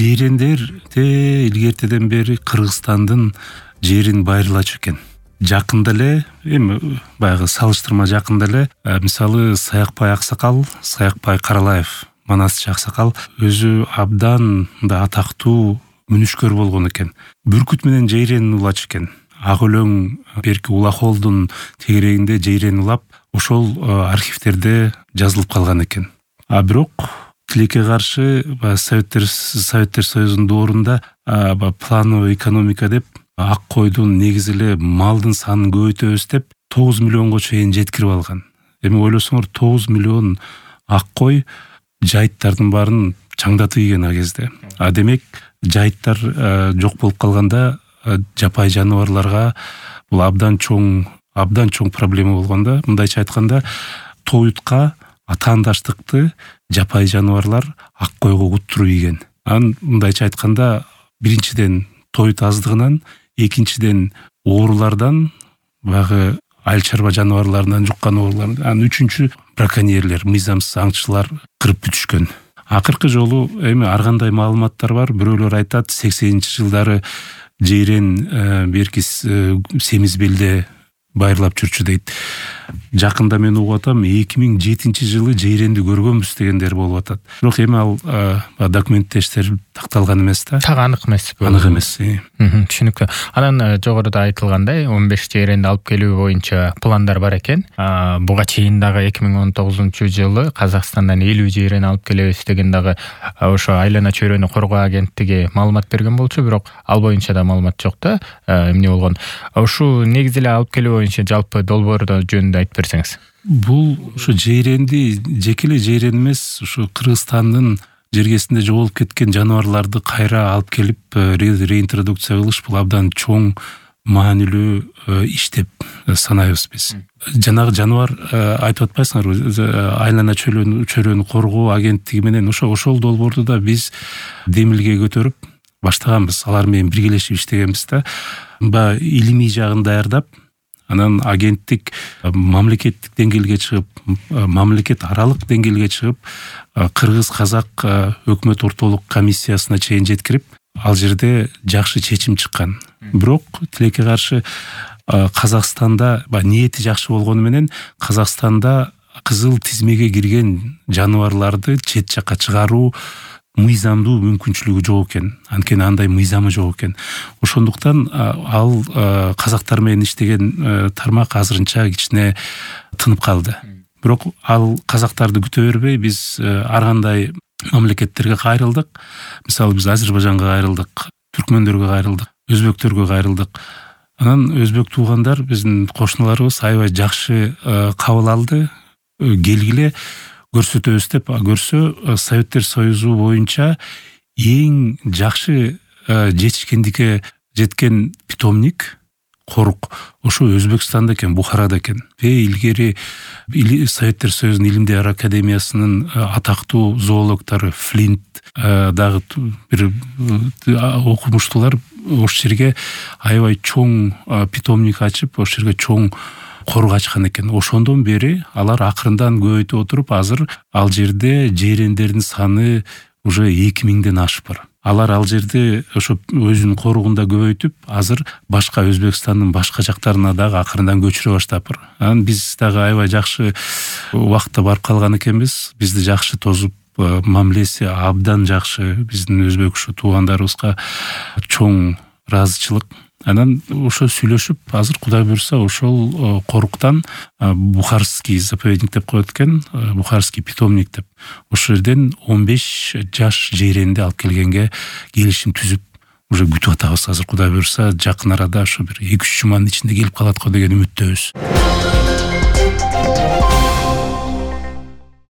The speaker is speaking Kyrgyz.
жейрендерде илгертеден бери Кыргызстандын жерин байырлачу экен. Жакында эле, эми баягы салыштырма жакында эле, мисалы Саякбай Аксакал, Саякбай Каралаев, Манасчы Аксакал өзү абдан да атактуу мүнүшкөр болгон экен. Бүркүт менен жейрен улачу экен. Ак өлөң берки Улахолдун тегерегинде жейрен улап, ошол архивтерде жазылып калган экен. А бирок тилекке каршы Советтер Союзунун доорунда плановый экономика деп ак койдун негизи эле малдын санын көбөйтөбүз деп 9 миллионго чейин жеткирип алган. Эми ойлосоңор 9 миллион ак кой жайыттардын баарын чаңдатып ийген а кезде. А демек жайыттар жок болуп калганда жапай жаныбарларга бул абдан чоң проблема болгондо, мындайча айтканда тоютка атаандаштыкты жапай жаныбарлар ак койго уттуруп ийген. Мындайча айтканда биринчиден тоют аздыгынан, экинчиден оорулардан, баягы айыл чарба жаныбарларынан жуккан оорулардан, үчүнчү браконьерлер, мыйзамсыз аңчылар кырып бүтүшкөн. Акыркы жолу эми ар кандай маалыматтар бар. Бирөөлөр айтат 80-жылдары жейрен берки Семизбелде байырлап жүрчү дейт. Жакында мен угуп атам 2007-жылы жейренди көргөнбүз дегендер болуп атат. Бирок эми ал документтештер такталган эмес да. Так анык эмес. Анык эмес. Түшүнүктүү. Анан жогоруда айтылгандай 15 жейренди алып келүү боюнча пландар бар экен. Буга чейин дагы 2019-жылы Казакстандан 50 жейрен алып келебиз деген дагы ошо айлана чөйрөнү коргоо агенттиги маалымат берген болчу, бирок ал боюнча да маалымат жок да. Эмне болгон? Ушул негизи эле алып келүү боюнча жалпы долбоорду жөнүндө айтып берсеңиз. Бул ушу жейренди жеке эле жейрен эмес, ушу Кыргызстандын жергесинде жоголуп кеткен жаныбарларды кайра алып келип реинтродукция кылыш бул абдан чоң маанилүү иш деп санайбыз биз. Жанагы жаныбар айтып атпайсыңарбы, айлана чөйрөнү коргоо агенттиги менен ошол долбоорду да биз демилге көтөрүп баштаганбыз. Алар менен биргелешип иштегенбиз да. Илимий жагын даярдап, анан агенттик мамлекеттик деңгээлге чыгып, мамлекет аралык деңгээлге чыгып, Кыргыз-Казак өкмөт ортолук комиссиясына чейин жеткирип, ал жерде жакшы чечим чыккан. Бирок тилекке каршы Казакстанда ниети жакшы болгону менен Казакстанда кызыл тизмеге кирген жаныбарларды чет жакка чыгаруу мыйзамдуу мүмкүнчүлүгү жок экен. Анткени андай мыйзамы жок экен. Ошондуктан ал казактар менен иштеген тармак азырынча кичине тынып калды. Бирок ал казактарды күтө бербей биз ар кандай мамлекеттерге кайрылдык. Мисалы биз Азербайжанга кайрылдык, түркмөндөргө кайрылдык, өзбектөргө кайрылдык. Анан өзбек туугандар биздин кошуналарыбыз аябай жакшы кабыл алды. Келгиле көрсөтөбүз деп көрсө, Советтер Союзу боюнча эң жакшы жетишкендикке жеткен питомник, корук ошо Өзбекстанда экен, Бухарада экен. Илгери Советтер Союзунун Илимдер академиясынын атактуу зоологтору Флинт дагы бир окумуштуулар ошол жерге аябай чоң питомник ачып, ошол жерге чоң корук ачкан экен. Ошондон бери алар акырындан көбөйтүп отуруп, азыр ал жерде жейрендердин саны уже 2000ден ашып бар. Алар ал жерде ошо өзүнүн коругунда көбөйтүп, азыр башка Өзбекстандын башка жактарына дагы акырындан көчүрө баштап бар. Анан биз дагы аябай жакшы убакытта барып калган экенбиз. Бизди жакшы тосуп, мамилеси абдан жакшы. Биздин өзбек туугандарыбызга чоң ыраазычылык. Анан ошо сүйлөшүп, азыр Кудай буйрса ошол коруктан Бухарский заповедник деп коет экен, Бухарский питомник деп. Ошол жерден 15 жаш жейренди алып келгенге келишим түзүп, уже күтүп атабыз. Азыр Кудай буйрса жакын арада ошо бир 2-3 жуманын ичинде келип калат го деген үмүттөбүз.